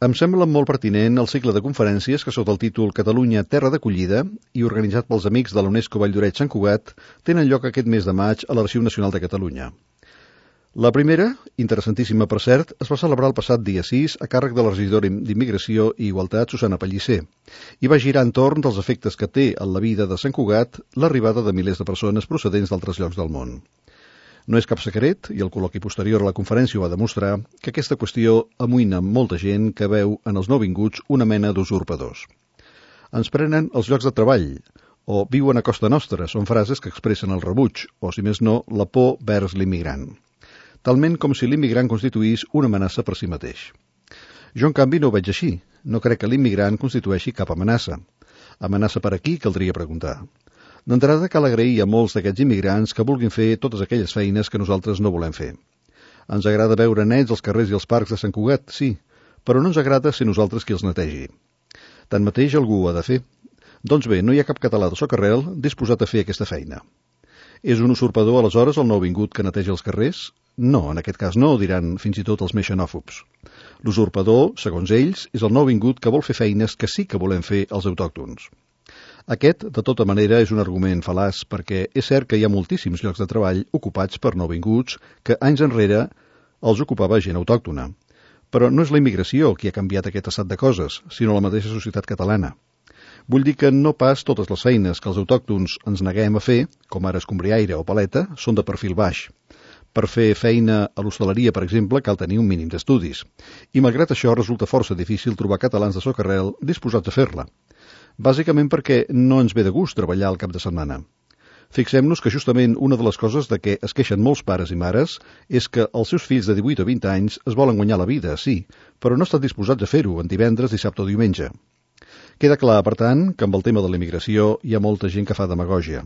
Em sembla molt pertinent el cicle de conferències que sota el títol Catalunya, terra d'acollida i organitzat pels amics de l'UNESCO Valldoreix Sant Cugat tenen lloc aquest mes de maig a l'Arxiu Nacional de Catalunya. La primera, interessantíssima per cert, es va celebrar el passat dia 6 a càrrec de la regidora d'Immigració i Igualtat, Susana Pellicer, i va girar entorn dels efectes que té en la vida de Sant Cugat l'arribada de milers de persones procedents d'altres llocs del món. No és cap secret, i el col·loqui posterior a la conferència ho va demostrar, que aquesta qüestió amoïna molta gent que veu en els nouvinguts una mena d'usurpadors. Ens prenen els llocs de treball, o viuen a costa nostra, són frases que expressen el rebuig, o si més no, la por vers l'immigrant. Talment com si l'immigrant constituís una amenaça per si mateix. Jo, en canvi, no ho veig així. No crec que l'immigrant constitueixi cap amenaça. Amenaça per aquí, caldria preguntar. D'entrada, cal agrair a molts d'aquests immigrants que vulguin fer totes aquelles feines que nosaltres no volem fer. Ens agrada veure nets als carrers i als parcs de Sant Cugat, sí, però no ens agrada ser nosaltres qui els netegi. Tanmateix, algú ho ha de fer. Doncs bé, no hi ha cap català de socarrel disposat a fer aquesta feina. És un usurpador, aleshores, el nouvingut que neteja els carrers? No, en aquest cas no, diran fins i tot els més xenòfobs. L'usurpador, segons ells, és el nouvingut que vol fer feines que sí que volem fer els autòctons. Aquest, de tota manera, és un argument fal·laç perquè és cert que hi ha moltíssims llocs de treball ocupats per nouvinguts que anys enrere els ocupava gent autòctona. Però no és la immigració qui ha canviat aquest estat de coses, sinó la mateixa societat catalana. Vull dir que no pas totes les feines que els autòctons ens neguem a fer, com ara escombriaire o paleta, són de perfil baix. Per fer feina a l'hostaleria, per exemple, cal tenir un mínim d'estudis. I malgrat això resulta força difícil trobar catalans de socarrel disposats a fer-la. Bàsicament perquè no ens ve de gust treballar al cap de setmana. Fixem-nos que justament una de les coses de què es queixen molts pares i mares és que els seus fills de 18 o 20 anys es volen guanyar la vida, sí, però no estan disposats a fer-ho en divendres, dissabte o diumenge. Queda clar, per tant, que amb el tema de la immigració hi ha molta gent que fa demagògia,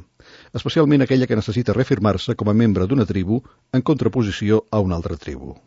especialment aquella que necessita reafirmar-se com a membre d'una tribu en contraposició a una altra tribu.